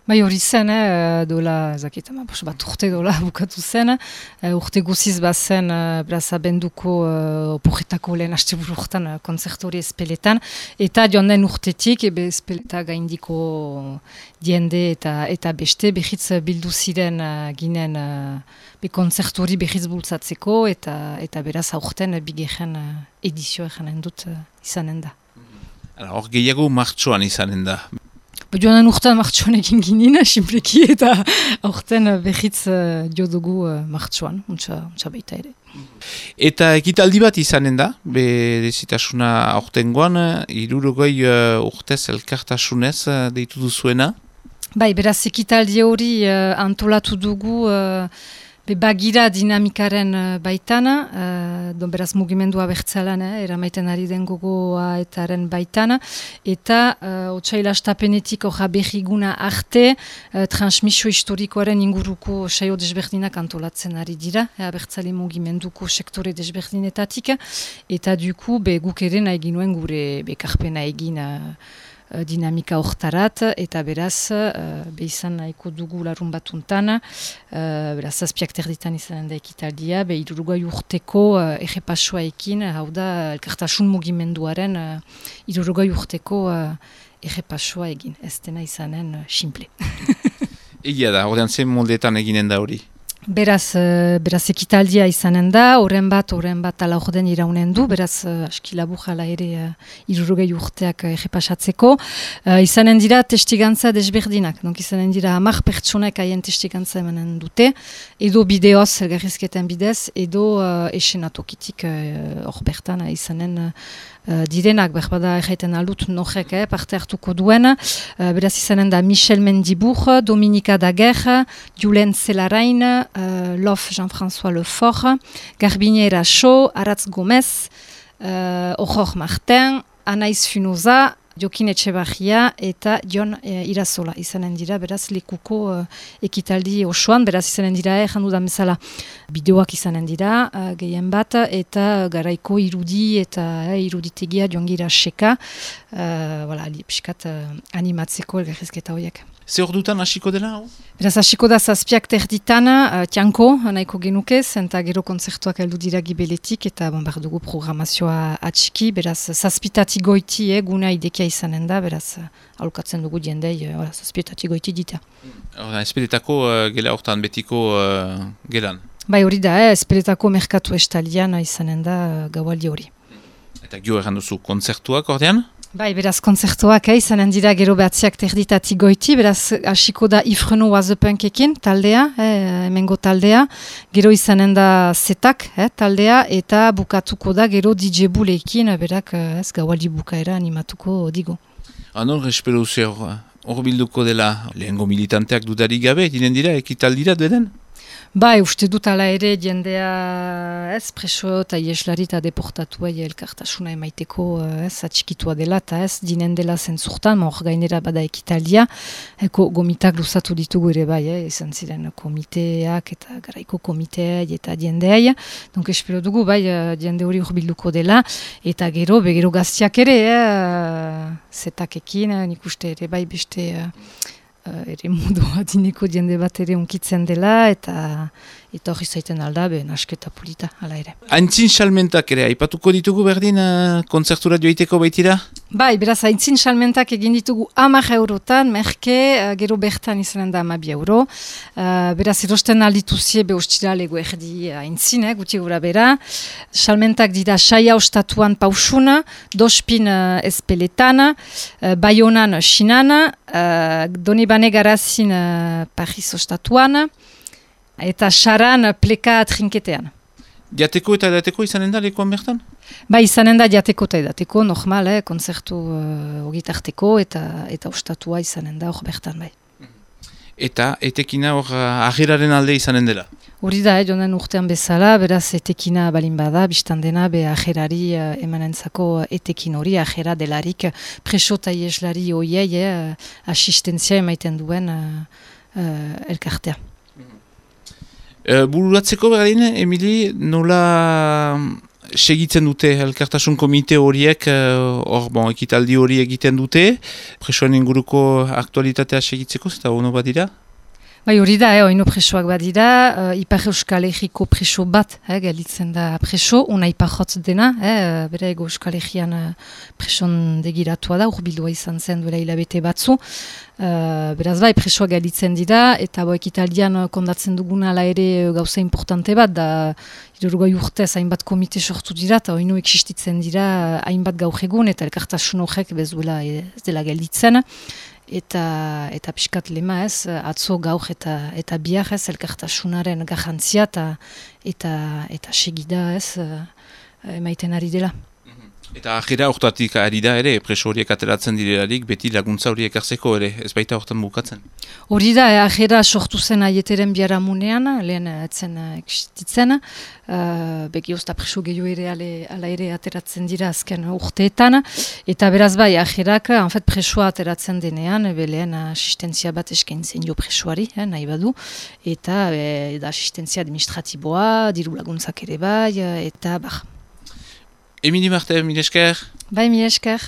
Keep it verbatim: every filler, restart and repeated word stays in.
Bai hori zen, eh, dola, ezakit, bat urte dola bukatu zen, uh, urte guziz bat zen, uh, beraz abenduko uh, oporretako lehen asteburu urtean uh, kontzertu hori espeletan, eta joan den urtetik, ebe espeleta gaindiko diende eta eta beste, behitz bildu ziren uh, ginen uh, be kontzertu hori behitz bultzatzeko, eta, eta beraz aurten uh, bigehen uh, edizioa janen dut uh, izanen da. Hor gehiago martxoan izanen da. Joanen urtean martxoan egin ginen, simpleki, eta aurten behitz uh, jo dugu uh, martxoan, untsa, untsa baita ere. Eta ekitaldi bat izanen da, berezitasuna aurtengoan, hirurogei uh, urtez elkartasunez uh, deitu duzuena? Bai, beraz ekitaldi hori uh, antolatu dugu uh, Be bagira dinamikaren uh, baitana, uh, don beraz mugimendua bertzalan, eh, eramaiten ari den gogoa etaren baitana, eta uh, otsaila astapenetik orra berriguna arte, uh, transmisio historikoaren inguruko saio desberdinak antolatzen ari dira, eh, abertzale mugimenduko sektore desberdinetatik, eta duku be guk ere nahi ginuen gure bekarpena egin uh, dinamika hortarat, eta beraz uh, behizan nahiko dugu larun batuntan, uh, beraz zazpiak terditan izanen da ekitaldia, be hirurogei urteko uh, errepasoa ekin, hau da elkartasun mugimenduaren uh, hirurogei urteko uh, errepasoa egin, ez dena izanen uh, simple. Egia da, ordean zen moldetan eginen da hori? Beraz, uh, beraz ekitaldia izanen da, horren bat, horren bat ala orden iraunen du, beraz uh, aski labur jala ere uh, hirurogei urteak uh, errepasatzeko. Uh, izanen dira testigantza desberdinak, donc izanen dira hamar pertsonek haien testigantza emanen dute, edo bideoz elgarrizketen bidez, edo uh, esenatokitik hor uh, bertan uh, izanen uh, Uh, direnak, berbada erraiten aldut norek eh, parte hartuko duen, uh, beraz izanen da Michel Mendibur, Dominika Daguerre, Julen Zelarain, uh, Lof Jean-François Lefort, Garbine Eracho, Aratz Gomez, uh, Ojor Martin, Anaiz Funoza, Jokin Etxebarria eta Jon e, Irazola izanen dira, beraz lekuko uh, ekitaldi osoan, beraz izanen dira, eh, jandu da bezala bideoak izanen dira, uh, gehien bat, eta garaiko irudi eta eh, iruditegia jongira seka, uh, voilà, piskat uh, animatzeko elgarrizketa horiek. Ze hor dutan hasiko dela? Hau? Beraz, hasiko da zazpiak terditan, uh, tianko, nahiko genuke, zenta gero kontzertuak heldu dira gibeletik, eta bon, behar dugu programazioa atxiki, beraz, zazpitati goiti, eh, guna idekia izanen da, beraz, uh, alukatzen dugu diendei, uh, zazpitati goiti dita. Horda, espeletako uh, gela hortan betiko uh, gelan? Bai hori da, eh, espeletako merkatu estalian izanen da uh, gaualdi hori. Eta gio erran duzu kontzertuak ordean? Bai, beraz, kontzertuak, eh, izanen dira gero behatziak terditati goiti, beraz, hasiko da Ifreno Wazepunkekin taldea, eh, emengo taldea, gero izanen da Zetak eh, taldea, eta bukatuko da gero D J Bulekin, berak, ez gaualdi bukaera animatuko digo. Anor, espero ze hor bilduko dela lehengo militanteak dudarik gabe, dinen dira, ekitaldira deden? Bai, uste dut ala ere jendea ez preso eta ieslari eta deportatua elkartasuna emaiteko ez atxikitua dela eta ez dinen dela zentzurtan, hor gainera bada ekitaldia, eko gomitak luzatu ditugu ere bai, eh, izan ziren komiteak eta garaiko komiteak eta jendeai, donk espero dugu bai jende hori urbilduko dela, eta gero, begero gaztiak ere, eh, zetakekin, nik uste ere bai beste... Uh, ere modu adineko jende bat ere unkitzen dela, eta eta hori zaiten alda, be, nasketa polita, ala ere. Aintzin salmentak ere, aipatuko ditugu berdin uh, kontzertura joiteko baitira? Bai, beraz, aintzin salmentak egin ditugu hamar eurotan, merke, uh, gero bertan izanen da hamabi euro. Uh, beraz, erosten aldituzie, be ostira lego erdi aintzin, eh, guti gura bera. Salmentak dira saia ostatuan pausuna, dospin uh, espeletan, uh, baionan sinan, uh, donibane garazin uh, Paris ostatuan, eta saran pleka trinketean. Diateko eta edateko izanen da lekuan bertan? Ba, izanen da diateko eta edateko, normal, eh, konzertu uh, ogitarteko eta eta ostatua izanen da hor bertan bai. Eta etekina hor ajeraren alde izanen dela? Hori da, eh, jonen urtean bezala, beraz etekina balin bada, biztan dena, be ajerari uh, emanentzako etekin hori, ajera delarik preso eta ieslari hoiei, eh, asistentzia emaiten duen uh, uh, elkartea. Uh, bururatzeko berdin, Emili, nola segitzen dute elkartasun komite horiek, hor, bon, ekitaldi hori egiten dute, presoen inguruko aktualitatea segitzeko, eta ono bat dira? Bai, hori da, eh, oino presoak badira, uh, Ipar Euskal Herriko preso bat, eh, galitzen da preso, una Ipar Hotz dena, eh, bere ego Euskal Herrian uh, preson degiratua da, urbildua izan zen duela hilabete batzu. Uh, beraz bai, presoak galitzen dira, eta bo ekitaldian uh, kondatzen duguna ala ere uh, gauza importante bat, da hirurogei urtez hainbat komite sortu dira, eta oino existitzen dira uh, hainbat gaur egun, eta elkartasun horrek bezuela ez dela galitzen. Eta, eta pixkat lema ez, atzo gaur eta, eta bihar ez, elkartasunaren garrantzia eta, eta, eta segida ez, emaiten ari dela. Eta ajera hortatik ari da ere, preso horiek ateratzen direlarik, beti laguntza horiek hartzeko ere, ez baita hortan bukatzen? Hori da, ajera sortu zen aieteren biharamunean, lehen etzen existitzen, uh, begi ozta preso gehiago ere ale, ala ere ateratzen dira azken urteetan, eta beraz bai, ajerak, en fet, presoa ateratzen denean, be lehen asistentzia bat eskaintzen jo presoari, eh, nahi badu, eta be, da asistentzia administratiboa, diru laguntzak ere bai, eta bar. Emili Marte, mil esker. Bai, mil esker.